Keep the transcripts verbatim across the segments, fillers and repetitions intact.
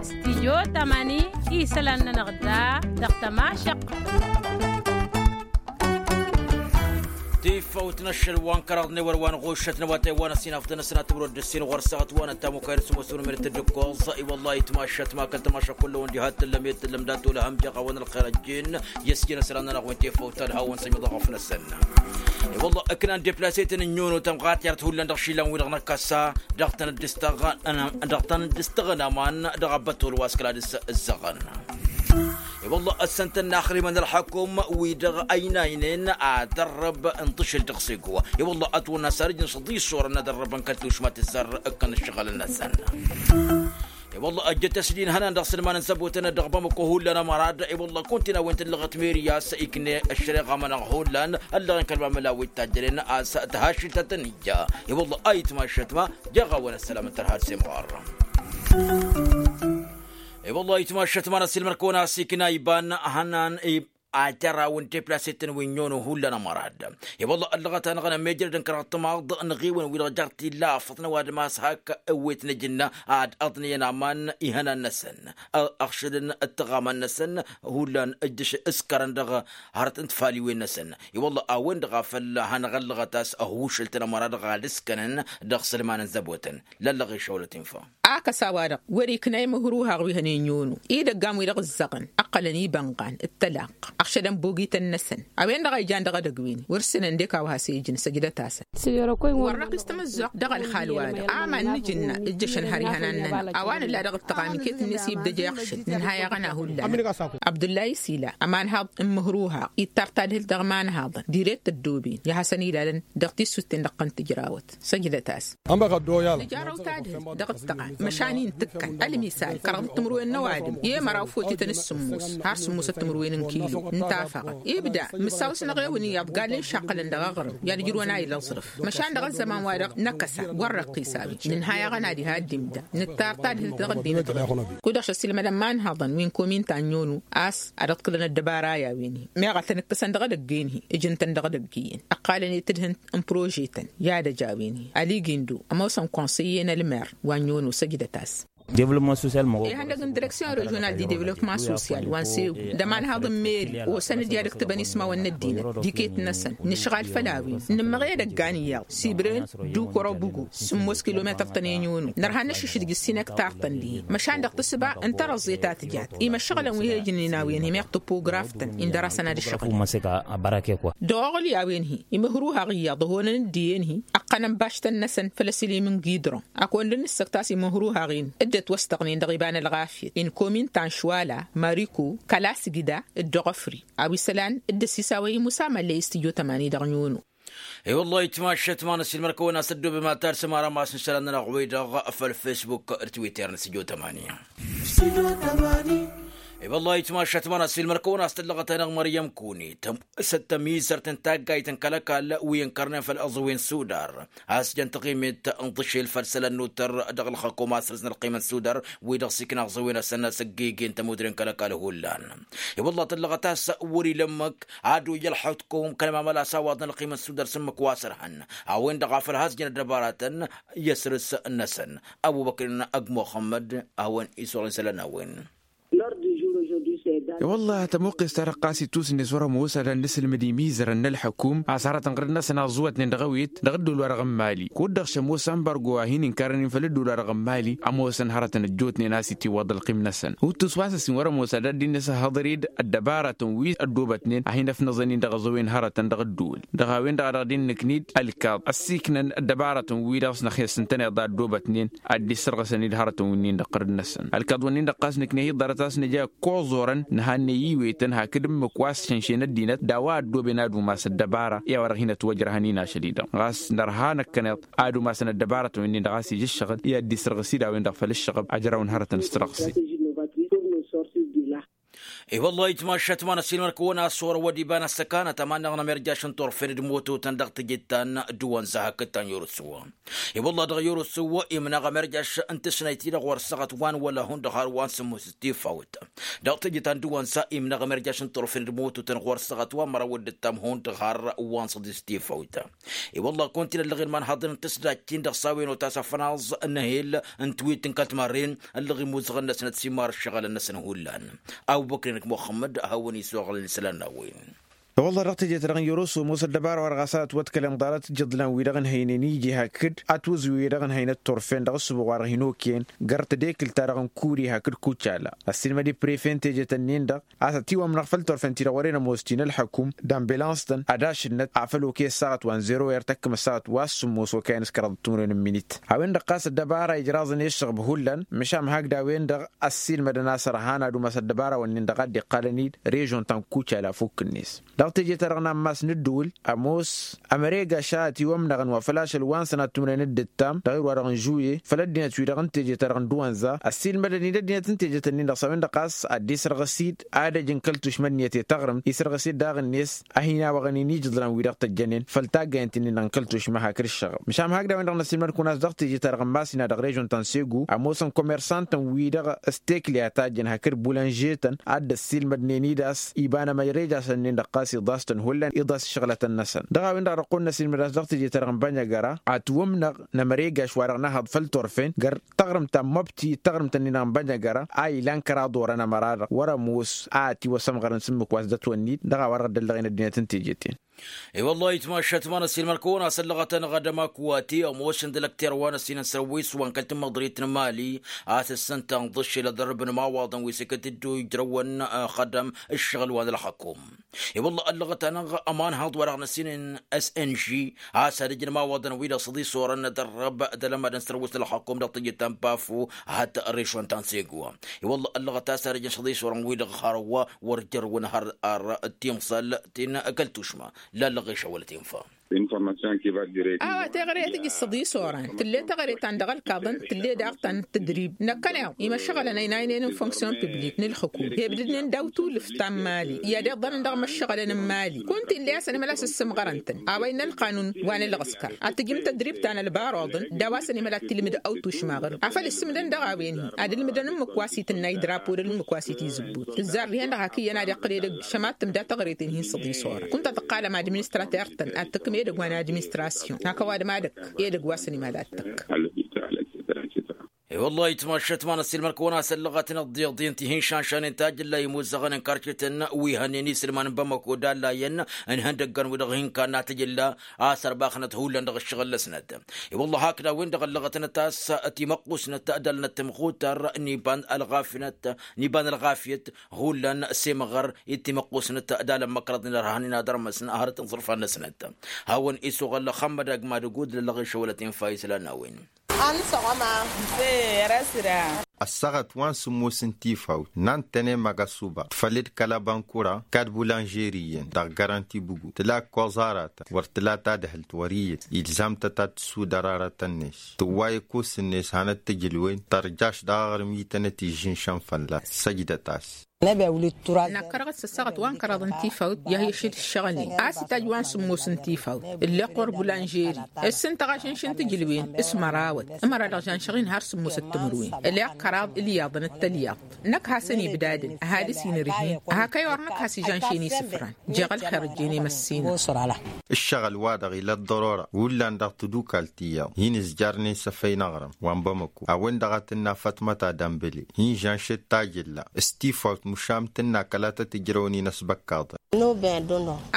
Stijyo tamani isălan-nănăɣ da dăɣ-tămašăq. Tifăwt n-ašăl wa n-kăraḍ n-ewăr wa n-ɣušăt n-awatay wa n-ăsinafḍăn ăsnat timrăw d-ǝssin ɣur-săɣăt wa n-ăttamukayr s-ămoos n-umăr tǝddǝkkoẓ. I-wălla-hi tmašăt ma kăl-tamašăk kull-ăwăn diha t-tǝllăm i-t-tǝllăm dat-olăhăm jeɣ-awăn ălxer ăjjin i-ăsjin asălan-nănăɣ wi n-tifăwt ad-hawăn-sămiḍăɣ ăfnăsăn. I-wălla-hi ǝknan deplase-ten ǝnyon u-tămɣatert hullan dăɣ-išilan-wi-dăɣ n-ăkkăsa dăɣ-tăn-dd-ǝstăɣăn aman dăɣ-abbătol wa s-kăla dăɣ-s ǝzzăɣăn. I-wălla-hi ăssăn-tăn n-axrimăn ălxăkum-wi-dăɣ ăynaynen ad-ărrăb n-tǝšǝl dăɣ-s igwa. I-wălla-hi ătwănna s-arǝjnǝs ḍisorăn ad-ărrăbăn kăl-tušma tǝzzar ǝkkăn ǝššăɣǝl-năsăn. I-wălla-hi ăjjăt ăsdin hănan dăɣ-sǝlman n-săbotăn dăɣ-bamăko hullan ămărad. I-wălla-hi kuntinawent ǝllăɣăt meri a-s ikne ăššăreɣa-mănăɣ hullan ăllăɣen kăl-mamăla wi t-tajjănen a-s tăhašǝlt a tăn-ija. I-wălla-hi ayǝtmašăt ma jeɣ-awăn ăssălam n-tărha d-semɣar. I-wălla-hi ayǝtmašăt ma n-ăssiilmăr-kăwăn a-s ikna iba n-hănan i-ad-tărawăn deplase-tăn wi n-ănnono hullan ămărad. I-wălla-hi ăllăɣăt-anăɣ n-amejrăd n-kăraḍ timaḍ n-aɣewăn wi-dăɣ jar t-illa afăḍ n-ăwadǝm a-s hak ewwet n-ajǝnna ad-ăḍniyăn aman ihănan-năsăn ăɣšǝdăn d-tăɣaman-năsăn hullan ǝjjǝš ǝskărăn dăɣ-hărăt n-tfaliwen-năsăn. I-wălla-hi a-wen-dăɣ a făl hanăɣ-ăllăɣăt a-s ăhuušǝl-tăn ămărad dăɣ-ad-ǝskănăn dăɣ-sǝlman n-zăbotăn lăllăɣ išăwlăt infa. Akăs a-wa-dăɣ wăr-ikna imǝhruhaɣ wi hănen yono idăggan wi-dăɣ ǝzzăɣăn ǝqqălăn ibănɣan d-tălaqq ăɣšădăn bogităn-năsăn. A-wen-dăɣ a ijan dăɣ-edăgg-win-i wăr sǝnăn dek a-wa has-e-ijǝn săjdăt-asăn. Wăr-năqqis tamǝzzuɣt dăɣ-ălxal-wa-dăɣ aman n-ajǝnna ǝjjăšăn har ihănan-nănăɣ a-wa nǝlla dăɣ-ǝttăɣ amiket-net ibdăj i-aɣšǝl nǝnhăy aɣăna hullan. Abdullahi sila ămanhaḍ n-imǝhruhaɣ ittar tadhǝlt dăɣ-imanhaḍăn direkt ăddooben i-ad-hasăn-ilalăn dăɣ-tissut-ten-dăɣ tăn-tǝjrawăt. Săjdăt-as. Nǝjarrăw tadhǝlt dăɣ-ǝttăɣa măšan-i n-tǝkkăn ălmisal kăraḍăt timǝrwen n-ăwadǝm i-măraw fotităn s-sǝmmos har sǝmmosăt timǝrwen n-kilo n-tafăɣăt. Ibda mǝssaw-s n-eɣewăn iyyăḍ gallen šaqqălăn dăɣ-aɣrǝm i-ad-ǝjrǝwăn a ilăẓrǝf măšan dăɣ-ăzzăman-wa-dăɣ n-akăsa wăr răqqis a-wen nǝnhăy aɣăna diha dd-imda nǝttar tadhǝlt dăɣ-ăddinăt ɣur-i. Kud-dăɣ šăssilmădăn imanhaḍăn wi n-komin ta n-yono a-s ad-ăḍkǝlăn ăddăbara i-a-wen-hi meɣ a tăn-ǝkkǝsăn dăɣ-edăgg-en-hi ǝjǝn-tăn dăɣ-edăgg iyyăn ǝqqalăn i-tǝdhǝnt n-prože-tăn i-ad-ăj a-wen-hi. Ăligǝndu ămoosăn konsăyye n-ălmer wa n-yono săjdăt-as. Ihăndăg n-direksyon režional di devlopman sosyal wa n-segu d-ămanhaḍ n-meri osăn-dd i-ad-ǝktǝbăn ismawăn n-ăddinăt d-iket-năsăn nǝšɣal făll-a-wen nǝmmăɣ i-edăggan iyyăḍ sibren d-ukorobugu sǝmmos kilometăr-tăn i-n-yono nărha n-ašǝšdǝj ǝssin ektar-tăn dihen măšan dăɣ-tǝssǝba n-tărăẓẓe ta tǝjat imăššăɣǝlăn wi he-ijǝnnen a-wen-hi meɣ topograf-tăn indăr-asăn ad-ǝššăɣǝlăn. Dăɣ-oɣǝl i-a-wen-hi imǝhruhaɣ iyyăḍ ăhonăn dd-iyyăn-hi ăqqănăn baštăn-năsăn făll-asǝlim n-gidron. Ak wăr dd-nǝssăk tas imǝhruhaɣ-in dd-ătwăstăɣnen dăɣ-iba n-ălɣafyăt n-komin ta n-šwala mariko kăla sǝgda d-dăɣ-ăfri a-wa isălan dd-ăsisawăy imusa măllăy s-tijot ămani dăɣ-n-yono. E-wăllah itmašat ma n-ăsilmăr-kăwăn a-s ăddoobe ma ta d-sămara ma s-nǝšălan-nănăɣ wi-dăɣ făll-fesbuk d-twitter n-sijot ămani. E-wăllah itmašat ma n-ăsilmăr-kăwăn a-s tăllăɣăt-anăɣ măryăm kuni tăm s-ăttămizărt n-taggayt n-kăl-ăkall wi ǝnkărnen făll-aẓăwen sudar a-s jăn taɣimet n-tǝšel făll-isălan n-utăr dăɣ-ălxăkum a-s rǝzna ălqim n-sudar wi-dăɣ s-ikna aẓăwen asănna s-ăgg-ege n-tămudre n-kăl-ăkall hullan. E-wăllah tăllăɣăt a-s wăr-ila ǝmmǝk ad-oy ălxukum kăl-mamăla s-awaḍăn ălqim n-sudar s-ǝmmǝk wa s-ărhăn a-wen dăɣ-a făl has-jăn ăddăbaratăn i-asrǝs-năsăn. Ăbubăkr n-ăgg muxămmăd a hawăn-isuɣǝl isălan a-wen. E-wăllah tămuqqes-ta-dăɣ ɣas itusǝnnes wăr-ămoos ad-ănnăsǝlmǝd imizărăn n-ălxukum a-s hărătăn ɣǝrǝd-năsăn aẓuwătnen dăɣ-ewet dăɣ-ǝddul-wa-dăɣ n-imali kud-dăɣ šămoos ambargo wa hin-inkărăn-in făll-ǝddul-wa-dăɣ n-imali. Ămoosăn hărătăn ăjjootnen a-s itiwwăḍ ălqim-năsăn uttus wa s-ăssin wăr-ămoos ad-ăddinăs ăhhăḍăr-dd ăddăbarătăn wi ăddoobătnen a hin-ăfnăẓăn-in dăɣ-aẓăwen hărătăn dăɣ-ǝddul. Dăɣ-a-wen-dăɣ a dăɣ-dd-innǝknid ălkaḍ ăssiiknăn ăddăbarătăn-wi-dăɣ s-năxyăs ǝntăneḍ a ăddoobătnen ad-dd-issărɣǝsăn-dd hărătăn wi-nin-dăɣ ɣǝrǝd-năsăn ălkaḍ-wǝnnin-dăɣ ɣas nǝkneh-i ḍarăt a-s nǝja ăkkoẓorăn nǝhannăy iwetăn hakd ǝmmǝk wa s-šănšen ăddinăt d-a-wa ăddooben ad-umas ăddăbara i-a-wa-dăɣ hin-ătwăjrăhăn-in ašăl-i-dăɣ ɣas nărha năkkăneḍ ad-umasăn ăddăbarătăn wi-nin-dăɣ a-s ija ǝššăɣǝl i-ad-dd-issărɣǝs-dd a-wen-dăɣ făll-ǝššăɣăb ăjraw n-hărătăn s-tărɣǝse. I-wălla itmašat ma n-ăssiilmăr-kăwăn a-s orăwăd iba n-ăssăkanăt ămannaɣ n-emerjaš n-turfen d-mototăn dăɣ-teje ta n-duwănza hakd ta n-yorosǝw. I-wălla dăɣ-yorosǝw imnăɣ emerjaš n-tǝsnăyt-i-dăɣ wăr săɣăt wa n-wăla hundăɣ har wa n-sǝmmos d-tifawt. Dăɣ-teje ta n-duwănza imnăɣ emerjaš n-turfen d-mototăn wăr săɣăt wa n-măraw d-ǝttam hundăɣ har wa n-săḍis tifawt. I-wălla kunta-in ăllăɣen ma n-haḍăn n-tǝsdajt-in-dăɣ s-a-wen otas afănaẓ n-ehel n-twilt n-kăl-timarren ăllăɣ imuzăɣăn-năsnăt s-immar ǝššăɣǝlăn-năsăn hullan. Awbăkr-i-năk muxămmăd hawăn-isuɣǝlăn isălan n-a-wen. I-wălla dăɣ-teje-ta-dăɣ n-yăroso ămoosăt dd-ăbara wa dăɣ-a-s ad-ătwăḍkălăn ḍarăt ijǝḍlan-wi-dăɣ ǝnhăynen iji hakd atwǝzǝw-i-dăɣ ǝnhăynăt turfen dăɣ-ǝssǝbo wa dăɣ-hin-okăyăn găr tedekǝlt-ta-dăɣ n-kuri hakd kucala. Ăssiilmăd i-prefe n-teje-tăn-in-dăɣ a-s ătiwămnăɣ făll-turfen-ti-dăɣ wăren ămoos ti n-ălḥăkum d-ambulans-tăn ad-ašǝnnăt afăl okăy ăssaɣăt wa n-zero er tăkkăm ăssaɣăt wa s-sǝmmos okăyăn s-kăraḍăt timǝrwen n-minit. A-wen-dăɣ ɣas ăddăbara ijraẓăn i-ǝššăɣb hullan măšan hakd a-wen-dăɣ ăssiilmădăn a-s ărhan ad-umas ăddăbara-wǝnnin-dăɣ a dd-iqqalăn-dd režon ta n-kucala fukk-net. Dăɣ-teje-ta-dăɣ n-ammas n-ǝddǝwǝl ămoos ămăregaš a ătiwămnăɣăn wa făl ašăl wa n-sănat timǝrwen d-ǝttam dăɣ-irwa-dăɣ n-žuye făll-ăddinăt-wi-dăɣ n-teje-ta-dăɣ n-duwănza ăssiilmădăn-dd ăddinăt n-teje-tăn-in-dăɣ s-a-wen-dăɣ ɣas ad-dd-isrăɣǝs-dd ad-ăj n-kăl-tušma ǝnniyăt i-taɣrǝmt isrăɣǝs-dd daɣ-net. Ad-hin-awăɣăn-in ijǝḍlan-wi-dăɣ tăjjănen făll-taggayăn ti-nin-dăɣ n-kăl-tušma hakd ǝššăɣăb măšan hakd a-wen-dăɣ năssiilmăd-kăwăn a-s dăɣ-teje-ta-dăɣ n-masina dăɣ-režon ta n-segu ămoosăn komersantăn-wi-dăɣ s-tekle a tajjăn hakd bulanžetăn ad-dd-ăssiilmădnen-dd a-s iba n-emărejašăn-nin-dăɣ ɣas iḍas-tăn hullan iḍas ǝššăɣlătăn-năsăn. Dăɣ-a-wen-dăɣ a dăɣ-kăwăn-năsiilmăd a-s dăɣ-teje-ta-dăɣ n-bănjăgăra ătwǝmnăɣ n-emăregaš wa dăɣ-nǝhăḍ făll-turfen găr taɣrǝmt ta n-măbti d-taɣrǝmt-nin-dăɣ n-bănjăgăra a ilan kăraḍ orăn ămăra-dăɣ wăr-ămoos a ătiwăsămɣărăn s-ǝmmǝk wa s-dd-ătwănnit dăɣ-a-wa-dăɣ dd-ăllăɣen ăddinăt n-teje-ten. I-wăllah itmašat ma n-ăssiilmăr-kăwăn a-s ăllăɣăt-anăɣ ad-ămakǝwate ămoosăn d-ălăkter wa n-ăssiinăn săr-wi s-wa n-kăl-tǝmmăḍrit n-mali a-s ǝssǝntăn ḍǝššel ăḍrǝb n-imawaḍăn wi s-ikăt dd-ujrăwăn ăxădăm ǝššăɣǝl wa n-ălxăkum. I-wăllah ăllăɣăt-anăɣ ămanhăḍ wa dăɣ-năsiinăn s-n g a-s ad-ǝjǝn imawaḍăn-wi-dăɣ s-ăḍisorăn n-edărrăb d-alămadăn s-tărwǝst n-ălxăkum dăɣ-tijǝt ta n-bafu hat-režon ta n-segwa. I-wăllah ăllăɣăt a-s ad-ǝjǝn s-ăḍisorăn-wi-dăɣ hărwa wăr jărwăn har ar timẓal ti n-kăl-tušma. Lallăɣ išăwălăt infa. A-wa teɣăre a tǝjǝs s-ăḍisoran tǝlle teɣăre ta n-dăɣ-ălkaḍăn tǝlle daɣ ta n-tǝdrib năkkăneḍ imăššăɣălăn ăynaynen n-fonksyon piblik n-ǝlxǝkum hebdǝdnen daw-tulǝft ta n-mali i-ad-iḍănăn dăɣ-imăššăɣălăn n-mali kunta ill'-e a-s ănimăla s-ǝssǝmɣărăn-tăn a-wa innă ălqanun wa n-ǝlɣǝskăr ad-tǝjǝm tădrib ta n-ălbaroḍăn d-a-wa s-ănimăla ad-tilmǝd awtušmaɣăr afăl ǝssǝmdăn dăɣ-a-wen-hi ad-ǝlmǝdăn ǝmmǝk wa s-itǝnnay drapo d-ǝmmǝk wa s-itizǝbbut tǝzzar dihen-dăɣ hakd iyyăn ad-iqqǝl edăgg šămattǝm d-a teɣăret-in-hi n-săḍisorăn kunta tǝqqalăm administrater-tăn ad-tǝkkǝm edăgg wa n-administrasyon hak ăwadǝm ad-ăkk edăgg wa s-ănimăla ad-tǝkk. I-wăllah itmašat ma n-ăssiilmăr-kăwăn a-s ăllăɣăt n-ăḍḍiḍen ti hin-šanšanen tajǝlla imuzăɣăn n-karcetăn wi hănnen isǝlman n-bamăko d-allayăn n-ihăndăggăn-wi-dăɣ hin-kanna tajǝlla a-s ărbaxnăt hullan dăɣ-ǝššăɣǝl-năsnăt. I-wăllah hakd a-wen-dăɣ ăllăɣătnăt a-s timăqqusnăt d-alnăt timɣutar n-iba n-ălɣafyăt n-iba n-ălɣafyăt hullan s-emăɣăr i-timăqqusnăt d-alăn măkrăḍnen ărhanen ad-ărmăsn hărăt n-iẓrǝfan-năsnăt. Hawăn-isuɣăl xămmăd agmad ăgg madăgg udǝl ăllăɣ išăwălăt infa islan n-a-wen. Ăssaɣăt wa n-sǝmmos n-tifawt n-antăne măgăsuba tfăl d-kăl-ăbankura kad-bulanžeri iyyăn dăɣ-garanti bǝgu tǝla ǝkkoẓ aratăn wăr tǝla tadhǝlt wăr iyyăt ilzam-tăt ad-tǝssudăr aratăn-net tǝwwa ekos-net hanăt-tǝjǝlwen tărjaš dăɣ-aɣrǝm itănăt ižžǝnšăn fălla-s săjdăt-as. Năkkărăɣ-dd s-ăssaɣăt wa n-kăraḍ n-tifawt i-ad-hi-ăššǝd ǝššăɣǝlnen a-s itajj wa n-sǝmmos n-tifawt tifawt ǝlleɣ ɣur-bulanžeri ǝssǝntăɣ ažǝnš n-tǝjǝlwen s-mărawăt ămăra-dăɣ žănšăɣ-in har sǝmmosăt timǝrwen ǝlleɣ kăraḍ ilyaḍăn d-tălyaḍt năkk hasăn-ibdadăn ăhalǝs inǝrhin hak ăyy wăr năkk has-ižănšen isǝfran jeɣ ălxer ăjjeen i-măssinăɣ. Ǝššăɣǝl-wa-dăɣ ila ăḍḍărora hullan dăɣ-tadukalt iyyăḍ hin-ǝzjarnen s-efăy n-aɣrǝm wa n-bamăko a-wen-dăɣ a tǝnna fătmăt adămbăle hin-žănšăt tajǝlla s-tifawt măšan tǝnna kăla tăt-ǝjrăwăn-in ăsbăkkaḍăn.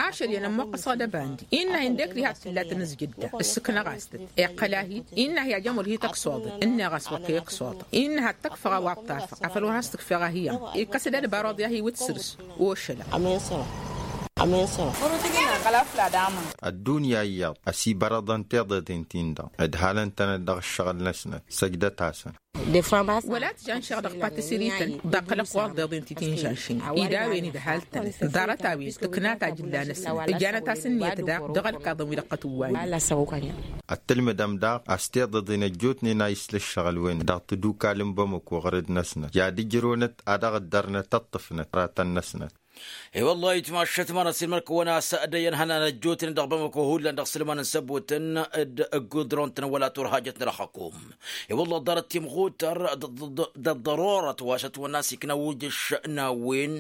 Ašăl iyyăn ămmoqqăsăɣ d-ăbandi innă hin-dekri had-tǝlla tǝnǝzjǝdda ǝssǝknăɣ-as-tăt iqqăl-ahi innă hi-ajăm wăr hi-tăksoḍăn ǝnneɣ-as wăr kăy-ǝksoḍăɣ innă had-tăkfăɣ a-wa ǝṭṭafăɣ afăl wăr has-tǝkfeɣ ahi-i-am ikkăs-dd ălbaroḍ i-ad-hi wǝt săr-s ošălăɣ. Ăddunya iyyăḍ ăsibărăḍăn tiḍeḍen-tin-dăɣ ǝdhalăn-tănăt dăɣ-ǝššăɣǝl-năsnăt. Săjdăt-asăn. Wăla tǝja n-išăɣ dăɣ-patisiri-tăn ḍaɣ kăl-ăqquḍ d-iḍen ti-tinžašnen. Id a-wen idhal-tăn ḍarăt-a-wen tǝkna tajǝlla-năsnăt ǝjanăt-as ǝnniyăt daɣ dăɣ-ălkaḍăn wi dăɣ-tătwawăn. Ăttǝlmǝdăm daɣ a-s tiḍeḍen ăjjootnen a islă ǝššăɣǝl-wen dăɣ-tadukal n-bamăko ɣărăd-năsnăt i-ad-ǝjrăwnăt ad-dăɣ-ǝddărnăt ăṭṭăfnăt ratăn-năsnăt. E-wăllah itmaššăt ma n-ăssiilmăr-kăwăn a-s dd-ăyyăn ihănan ăjjootnen dăɣ-bamăko hullan dăɣ-sǝlman n-săbotăn d-ǝggudron-tăn wăla turhajăt n-ălxăkum. E-wăllah ḍarăt timɣutăr d-ăḍḍărorăt wa s-ătwănna s-ikna ujǝš n-a-wen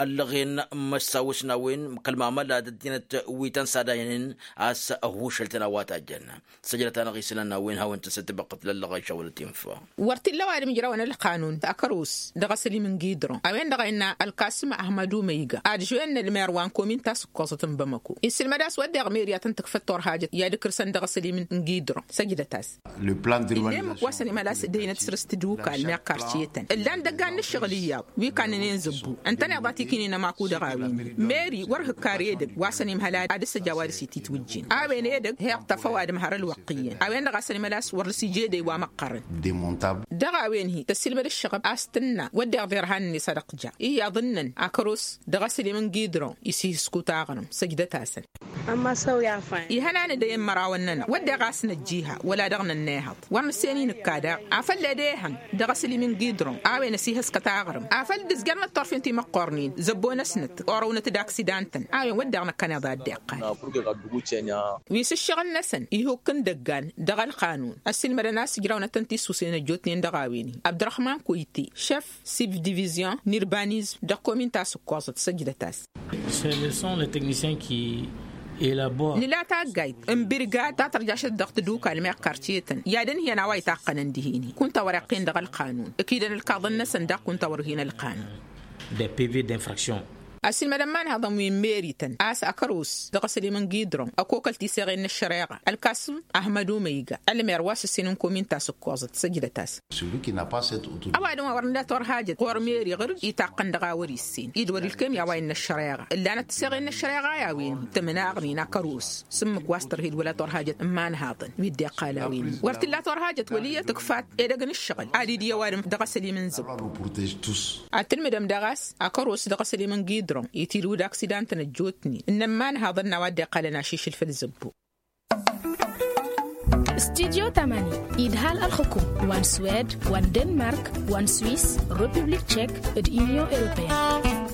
ăllăɣen măssawǝs n-a-wen kăl-mamăla d-ăddinăt wi tăn-sadaynen a-s ăhušăl-tăn a-wa tajjăn. Săjdăt-anăɣ isălan n-a-wen hawăn-tăn s-dd-tibăqqăt lăllăɣ a išawălăt infa. Wăr t-illa ăwadǝm ǝjrawăn ălqanun akăros dăɣ-asălim n-gidron a-wen-dăɣ a innă ălkasǝm ahmădu măyga ad-žoyăn ălmer wa n-komin tasǝkkoẓăt n-bamăko issǝlmăd a-s wădden meri ad-tăn-tǝkfăt turhajăt i-ad-ǝkrsăn dăɣ-asălim n-gidron. Săjdăt-as. Ǝllemǝk wa s-ănimălas dăynăt săr-s tǝdukal meɣ karciyătăn ǝllan dăggan n-ǝššăɣǝl iyyăḍ wi kannănen zǝbbu ǝntăneḍ a t-ikǝynen ămaku dăɣ-a-wen. Meri wăr hǝkkar edăgg wa s-ănimhăl ad-dăr-s ăj a-wa dăr-s ititwǝjjen a-wen edăgg heɣ tăfăw ad-ǝmhăr ălwăqq iyyăn a-wen-dăɣ a-s ănimălas wăr dăr-s ija edăy wa măqqărăn. Dăɣ-a-wen-hi tăssilmăd ǝššăɣăb a-s tǝnna wădden ḍirhan-net ad-ăqja iyyăḍ ǝnnăn akăros dăɣ-aslim n-gidron isihǝsku taɣrǝmt. Săjdăt-asăn. Ihănan edăy n-imărawăn-nănăɣ wădden ɣas năjjiha wăla dăɣ-nănnehăḍ wăr nǝssen inǝkka daɣ afăl ed ehăn dăɣ-aslim n-gidron a-wen ăsihăskăt aɣrǝm afăl dd-ǝzjărnăt turfen timăqqornen zăbbo-năsnăt orăwnăt d-aksidan-tăn a-wen wădden năkkăneḍ a dd-iqqal. Wi s-ǝššăɣǝl-năsăn ihukk n-idăggan dăɣ-ălqanun ăssiilmădăn a-s ǝjrawnăt-tăn tissusen ăjjootnen dăɣ-a-wen-hi abdărăhman koyte šef sibdivizyon n-irbanizm dăɣ-komin ta s-ǝkkoẓăt săjdăt-as. Nǝla taggayt n-birgad ta tărjašăt dăɣ-tadukal meɣ karcetăn i-ad-ǝnhǝyăn a-wa itaqqănăn dihen-hi kunta wăr-iqqen dăɣ-ălqanun ǝkidăn ǝlkaḍăn-năsăn daɣ kunta wăr ǝnhǝyăn ălqanun. Ăssiilmădăn imanhăḍăn wi n-merităn a-s akăros dăɣ-asălim n-gidron ăkokăl tiseɣen n-ăššăreɣa ălkasǝm ahmădu măyga ălmer wa s-ǝssin n-komin ta s-ǝkkoẓăt săjdăt-as. Ăwadǝm wa wăr nǝla turhajăt ɣur-meri ɣǝr-dd itaqqăn dăɣ-a wăr-issen idwăr ilkem i-a-wa innă ăššăreɣa ǝllanăt tiseɣen n-ăššăreɣa i-a-wen tǝmnaɣnen akăros s-ǝmmǝk wa s-tărhed wăla turhajăt n-imanhaḍăn wi dd-iqqal a-wen wăr t-illa turhajăt wăl' iyyăt ǝkfat edăgg n-ǝššăɣǝl ad-dd-iyyăw adǝm dăɣ-asălim n-zăb. Ad-tǝlmǝdăm daɣ a-s akăros dăɣ-asălim n-gidron itilǝw d-aksidan-tăn ăjjootnen ǝnnăn imanhaḍăn n-a-wa dd-iqqalăn ašišǝl făll-zăbbo. Studyo tamani idhal ălxǝkum wa n-swed wa n-denmark wa n-swis, republik tšek, d-inyon europeyăn.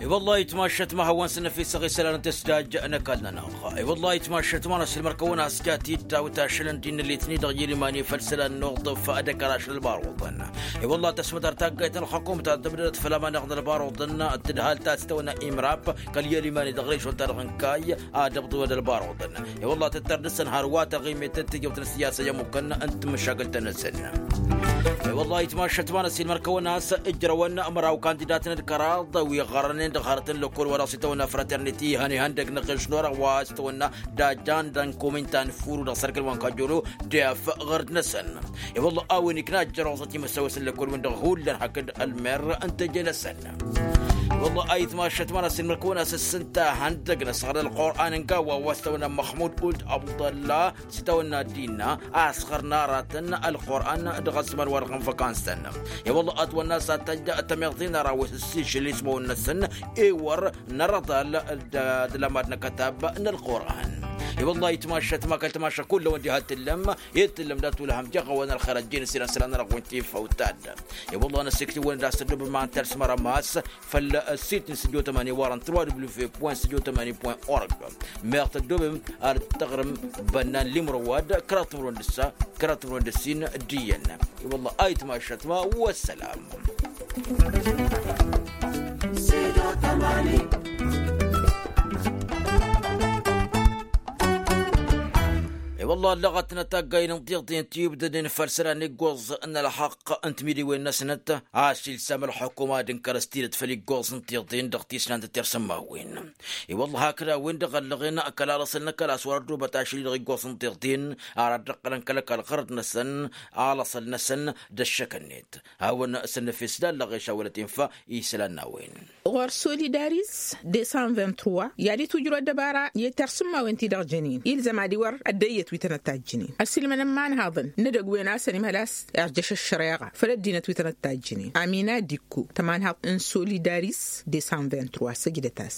I-wăllah itmašăt ma hawăn-săn năfisăɣ isălan n-tǝsdaj n-ăkall-nănăɣ. I-wăllah itmašăt ma n-asǝlmăr-kăwăn a-s jat-dd tawt ašăl n-dd-nǝllet-ni-dăɣ i-ăliman i-făll-isălan n-uḍǝf d-ăkall ašăl n-ălbar oḍăn. I-wăllah tăsmădar taggayt n-ălxukum ta tǝbdădăt făll-amanăɣ n-ălbar oḍăn tǝdhal ta s-tăwănna imrap kăl-i-ăliman-i dăɣ-režon-ta-dăɣ n-kayy ad-ăbḍǝwăn ălbar oḍăn. I-wăllah tăttăr dăr-săn hărwa taɣimet d-tijăwt n-ăssiyasa i-ămmukăn n-timǝššagǝlt-năsăn. I-wăllah itmašăt ma n-ăssiilmăr-kăwăn a-s ǝjrăwăn ămraw kandidatăn d-kăraḍ wi ɣărănen dăɣ-hărăt n-lăkkol wa dăɣ-s itawănna fraterniti ihăn ihăndăg n-aɣeš n-orăɣ wa s-itawănna d-ajan d-ănkomin ta n-furu dăɣ-sărkǝl wa n-kajjolo d-efăɣăr-năsăn. I-wăllah a-wen ikna ăjjăroẓăt imăsawăs n-lăkkol-wen-dăɣ hullan hakd ălmer n-teje-năsăn. I-wăllah a itmašăt ma n-ăssiilmăr-kăwăn a-s ǝssǝnta ihăndăg n-ăsɣăr n-ălqur'an n-gawa wa s-itawănna măxmud uld abdăllah s-itawănna dinna asɣăr n-aratăn ălqur'an dăɣ-ăzzăman-wa-dăɣ n-văkansăn. I-wălla ătwănna s-ad-tăjj tămiḍt-in ara wa s-ǝssišǝl ismăwăn-năsăn ewăr n-arăḍal d-ălămad n-akătab n-ălqur'an. I-wălla itmašăt ma kăl-tmašăt kull-awăn diha t-tǝllăm i-tǝllăm dat-ulhăm jeɣ-awăn ălxer ăjjeen s-irăn sălan-nănăɣ wi n-tifăw taddăm. I-wălla năssiktǝwăn d-a-s tăddobăm ma n-tărsmăr ămass făll-sit n-sǝdjo tămani warăn trois w point sǝdjo tămani point org. Meɣ tăddobăm ar tăɣrǝm bănnan limro wa d-kăraḍ timǝrwen d-ǝssa kăraḍ timǝrwen d-ǝssin d-iyyăn. I-wălla a itmašăt ma wăssălam. Wălla ăllăɣăt n-ataggayen n-tiḍen ti ibdăden făll-isălan iggoẓ n-ălxaqq n-timǝdiwen-năsnăt. A-s ilsam ălxukuma d-inkăr s-tidǝt făll-iggoẓ n-tiḍen dăɣ-tisnant d-tirsǝmmawen. I-wălla hakd a-wen-dăɣ ăllăɣen kăla lăsăl n-akăla s-wăr-ăddubăt ašăl-i-dăɣ iggoẓ n-tiḍen. Ar ad-dd-ăqqălăn kăl-ăkall ɣărăt-năsăn, a lăsăl-năsăn d-ăššăkănnet. Hawăn-săn năfes d-allăɣ i-šawălăt infa isălan n-a-wen. Ɣur-solidaris de cent vingt-trois i-ad-itwǝjrăw ăddăbara i-tirsǝmmawen ti-dăɣ jănen ilzăm ad-iwăr ăddăyyăt wi tănăt-tajjǝnen ăsilmăn n-imanhaḍăn n-edăgg-wen a-s ănimhăl a-s irjăš ăššăreɣa făll-ăddinăt wi tănăt-tajjǝnen. Amina dikko tămanhaḍt n-solidaris de cent vingt-trois săjdăt-as.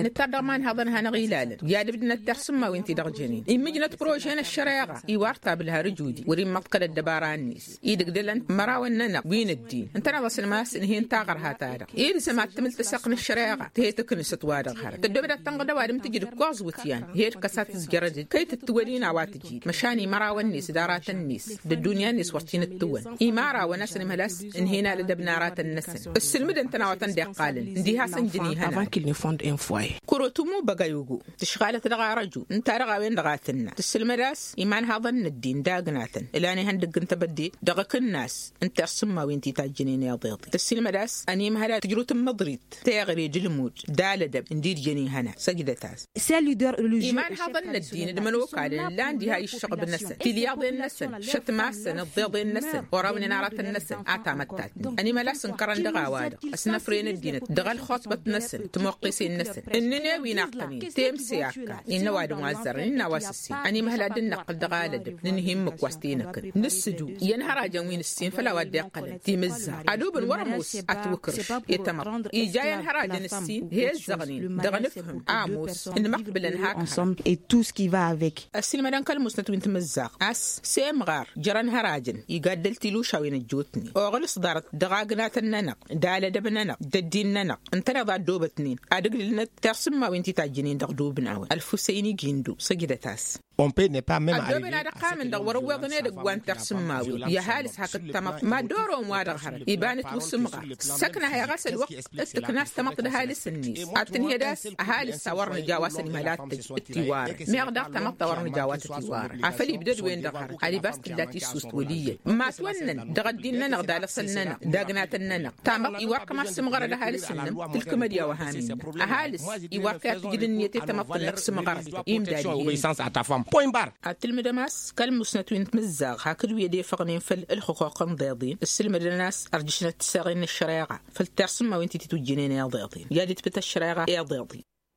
Nǝttar dăɣ-imanhaḍăn hanăɣ-ilalăn i-ad-ǝbdǝnăt tirsǝmmawen ti-dăɣ jănen immǝjnăt prože n-ăššăreɣa iwar tabǝl har ǝjudi wăr-immăḍkăl ăddăbara-net. Idǝgdălăn mărawăn-nănăɣ wi n-ăddin ǝntăneḍ-asăn ma s-ǝnhen taɣărha-ta-dăɣ ilzăm ad-tǝmǝl tǝsăɣt n-ăššăreɣa tǝhe tǝknǝsăt wa-dăɣ hărăt tăddoobăd ad-tănɣăd ăwadǝm tǝjǝd ǝkkoẓ iwǝtyan. Hed kăs ad-tǝzjărădăd kăy-tǝttǝwăl-in a-wa tǝjǝd măšan imărawăn-net d-aratăn-net d-ăddunya-net wăr t-in-ǝttǝwăn. Imarawăn a-s ănimhăl a-s ǝnhen alădăb n-aratăn-năsăn ǝssǝlmǝdăn-tăn a-wa tăn-dd-iqqalăn. Ǝndiha a-s ǝnjǝn ihănan. Kurotumu băgayugu tǝšɣalăt dăɣ-arăju ǝnta-dăɣ a-wen-dăɣ a tǝnna tǝssǝlmăd a-s imanhaḍăn n-ăddin d-agnatăn ǝlan ihăndăgg n-tebădde dăɣ-akǝnnas n-tirsǝmmawen ti tajjǝnen iḍeḍen tǝssǝlmăd a-s ănimhăl ad-tǝjrǝw tǝmmǝḍrit teɣre d-ǝlmud d-alădăb ǝndi d-jăn ihănan săjdăt-as. Imanhaḍăn n-ăddin d-imănokalăn ǝllan diha i-ǝššăɣb-năsăn tilyaḍen-năsăn šătmasăn ǝḍḍeḍen-năsăn orăwnen aratăn-năsăn a tamăttatnen ănimăl a-s ǝnkărăn dăɣ-a-wa-dăɣ ăsnăfrăyăn ăddinăt dăɣ-ălxuṣbăt-năsăn timoqqesen-năsăn ǝnnǝne wi n-aqqănen temse akkan innă ăwadǝm wa ăzzărăn innă a-wa s-ǝssin ănimhăl ad-dd-năqqǝl dăɣ-alădăb nǝnhǝy ǝmmǝk wa s-t-enăkăn nǝssǝdu i-ănhărajăn wi n-ǝssin făll-a-wa dd-iqqălăn timǝzzaɣt ad-ubǝn wăr-ămoos atwǝkrǝš i-tamăḍt ija i-ănhărajăn ǝssin he ǝzzăɣnen dăɣ-nǝfhǝm a ămoos nǝmăqbǝlăn hak-hărăt. Ăssiilmădăn kăl-musnăt wi n-timǝzzaɣt a-s semɣar jer-ănhărajăn igaddăl tilušawen ăjjootnen oɣǝl s-ḍarăt dăɣ-agnatăn-nănăɣ d-alădăb-nănăɣ d-ăddin-nănăɣ ǝntăneḍ a ăddoobătnen ad-ǝglǝlnăt tirsǝmmawen ti tajjǝnen dăɣ-dubǝn a-wen ălfusăyni gindu săjdăt-as. Ăddooben ad-ăqqamăn dăɣ-wăr-ăwweḍăn edăgg wa n-tirsǝmmawen i-ăhalǝs hakd tamăḍt mad-dd-oron wa-dăɣ hărăt iba n-ǝtwǝsǝmɣar. Săkna heɣ a-s ălwăqq d-tǝknast tamăḍt d-ăhalǝs-net ad-tǝnhǝyăd a-s ăhalǝs a wăr nǝja wa s-ănimhăl ad-tǝj d-tiwarăn meɣ daɣ tamăḍt a wăr nǝja wa tǝtiwarăn afăl ibdăd-wen-dăɣ hărăt ad-ibas tǝlla tissust wăl' iyyăn. Matwănnăn dăɣ-ăddin-nănăɣ d-alăsăl-nănăɣ d-agnatăn-nănăɣ tamăḍt iwar kămas sǝmɣărăd ăhalǝs-nănăɣ tǝlkǝmăd i-a-wa han innă ăhalǝs iwar kăy-ad-tǝjǝd ǝnniyăt i-tamăḍt-năk sǝmɣărăd. Imdad iyyăn ad-tǝlmǝdăm a-s kăl-musnăt wi n-timǝzzaɣ hakd wi ădefăɣnen făll-ǝlxǝquq n-iḍeḍen ǝssǝlmădăn a-s ărjǝšnăt tiseɣen n-ăššăreɣa făll-tirsǝmmawen ti tǝtwǝjjǝnen iḍeḍen i-ad-itpǝt ăššăreɣa iḍeḍen.